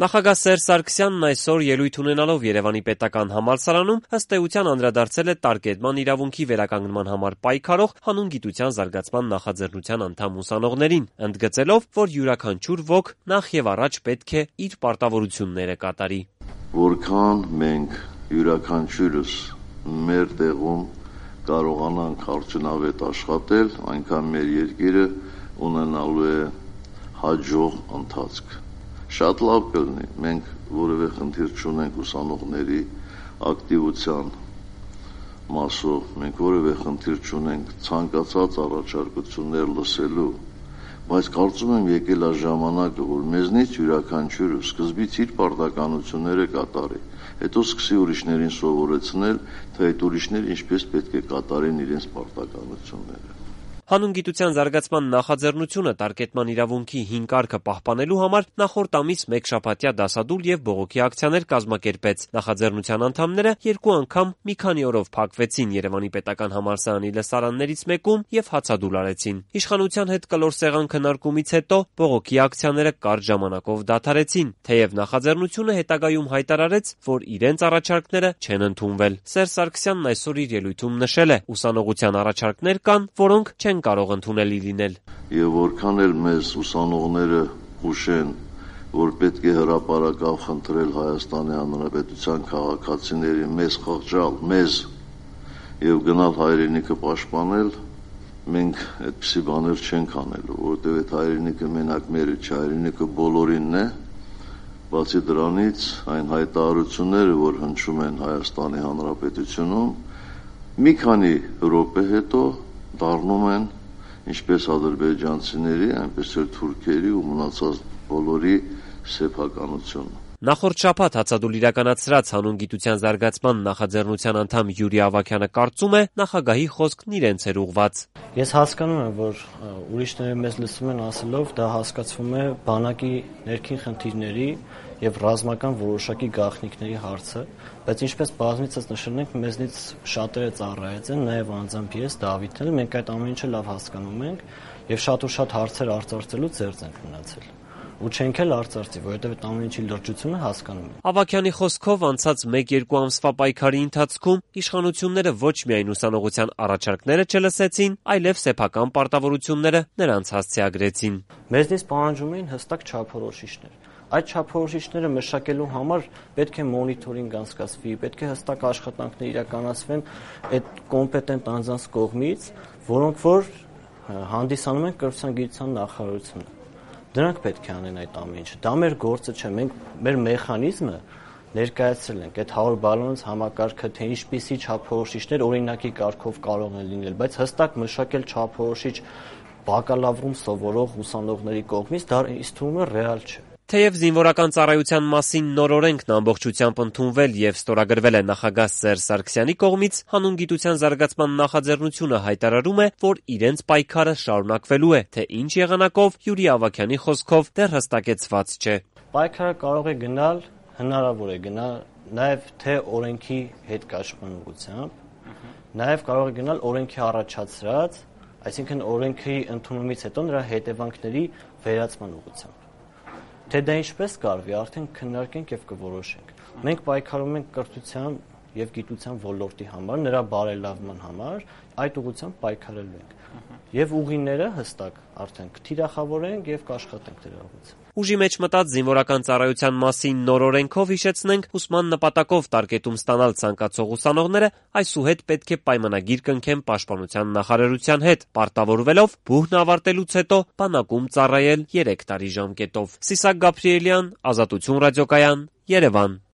Նախագահ Սերժ Սարգսյանն այսօր ելույթ ունենալով Երևանի պետական համալսարանում ըստ էության անդրադարձել է տարկետման իրավունքի վերականգնման համար պայքարող հանուն գիտության զարգացման նախաձեռնության անդամ ուսանողներին, ընդգծելով, որ յուրաքանչյուր ոք նախ եւ առաջ պետք է իր պարտավորությունները կատարի. Որքան մենք յուրաքանչյուրս մեր տեղում կարողանանք արդյունավետ աշխատել, այնքան մեր երկիրը ունենալու է հաջող ընթացք։ Շատ լավ կլինի, մենք որևէ խնդիր չունենք ուսանողների ակտիվության մասով, մենք որևէ խնդիր չունենք ցանկացած առաջարկություններ լսելու, բայց կարծում եմ եկել է ժամանակը, որ մեզնից յուրաքանչյուրը սկզբից իր պարտականությունները կատարի, հետո սկսի ուրիշներին սովորեցնել, թե այդ ուրիշները ինչպես պետք է կատարեն իրենց պարտականությունները։ Հանուն գիտության զարգացման նախաձեռնությունը տարկետման իրավունքի հին կարգը պահպանելու համար նախորդ ամիս մեկ շաբաթյա դասադուլ եւ բողոքի ակցիաներ կազմակերպեց։ Նախաձեռնության անդամները երկու անգամ մի քանի օրով փակվեցին Երևանի պետական համալսարանի լսարաններից մեկում եւ հացադուլ արեցին։ Իշխանության հետ կլոր սեղան քննարկումից հետո բողոքի ակցիաները կարճ ժամանակով դադարեցին, թեև նախաձեռնությունը հետագայում հայտարարեց, որ իրենց առաջարկները չեն ընդունվել։ Սերժ Սարգսյանն այսօր իր ելույթում նշել է. ուսանողության առաջարկներ կան, որոնք չեն կարող ընդունելի լինել։ Եվ որքան էլ մեզ ուսանողները հուշեն, որ պետք է հրապարակավ խնդրել Հայաստանի Հանրապետության քաղաքացիների մեզ խղճալ, մեզ եւ գնալ հայրենիքը պաշտպանել, մենք այդպիսի բաներ չենք անելու, որովհետեւ այդ հայրենիքը մենակ մերը չէ, հայրենիքը բոլորինն է։ Բացի դրանից, այն հայտարարությունները, որ հնչում են Հայաստանի Հանրապետությունում, մի քանի րոպե հետո դառնում են ինչպես ադրբեջանցիների, այնպես էլ թուրքերի ու մնացած բոլորի սեփականությունը։ Նախորդ շաբաթ հացադուլ իրականացրած հանուն գիտության զարգացման նախաձեռնության անդամ Յուրի Ավագյանը կարծում է նախագահի խոսքն իրենց էր ուղղված։ Ես հասկանում եմ, որ ուրիշները մեզ լսում են ասելով, դա հասկացվում է բանակի ներքին խնդիրների եւ ռազմական որոշակի գաղտնիքների հարցը, բայց ինչպես բազմիցս նշել ենք, մեզնից շատերը ծառայած են, նաեւ անձամբ ես, Դավիթն էլ, մենք այդ ամեն ինչը լավ հասկանում ենք եւ շատ ու շատ հարցեր արծարծելու ծերծ ենք մնացել։ Ու չենք էլ արծարծի, որովհետև այդ ամեն ինչի լրջությունը հասկանում ենք։ Ավագյանի խոսքով անցած 1-2 ամսվա պայքարի ընթացքում իշխանությունները ոչ միայն ուսանողության առաջարկները չլսեցին, այլև սեփական պարտավորությունները նրանց հասցեագրեցին։ Մեզնից պահանջում էին հստակ չափորոշիչներ։ Այդ չափորոշիչները մշակելու համար պետք է մոնիթորինգ անցկացվի, պետք է հստակ աշխատանքներ իրականացվեն այդ կոմպետենտ անձանց կողմից, որոնք որ հանդիսանում են կրթության գիտության նախարարությունը։ Դրանք պետք է անեն այդ ամեն ինչը։ Դա մեր գործը չէ, մենք մեր մեխանիզմը ներկայացրել ենք, այդ 100 բալանոց համակարգը, թե ինչպիսի չափորոշիչներ օրինակի կարգով կարող են լինել, բայց հստակ մշակել չափորոշիչ բակալավրում սովորող ուսանողների կողմից դա ինձ թվում է ռեալ չէ։ Թեև զինվորական ծառայության մասին նոր օրենքն ամբողջությամբ ընդունվել եւ ստորագրվել է նախագահ Սերժ Սարգսյանի կողմից, հանուն գիտության զարգացման նախաձեռնությունը հայտարարում է, որ իրենց պայքարը շարունակվելու է, թե ինչ եղանակով Յուրի Ավագյանի խոսքով դեռ հստակեցված չէ։ Պայքարը կարող է գնալ, հնարավոր է գնալ նաեւ թե օրենքի հետ կաշման ուղղությամբ, նաեւ կարող է գնալ օրենքի առաջացրած, այսինքն օրենքի ընդունումից հետո նրա հետևանքների վերացման ուղղությամբ։ Թե դա ինչպես կարվի, արդեն քննարկենք եւ կորոշենք։ Մենք պայքարում ենք կրթության եւ գիտության ոլորտի համար, նրա բարելավման համար, այդ ուղղությամբ պայքարելու ենք։ Եվ ուղիները հստակ արդեն կթիրախավորենք եւ կաշխատենք դրա ուղղությամբ։ Ուժի մեջ մտած զինվորական ծառայության մասին նոր օրենքով հիշեցնենք, ուսման նպատակով տարկետում ստանալ ցանկացող ուսանողները այսուհետ պետք է պայմանագիր կնքեն Պաշտպանության նախարարության հետ, պարտավորվելով բուհն ավարտելուց հետո բանակում ծառայել 3 տարի ժամկետով։ Սիսակ Գաբրիելյան, Ազատություն ռադիոկայան, Երևան։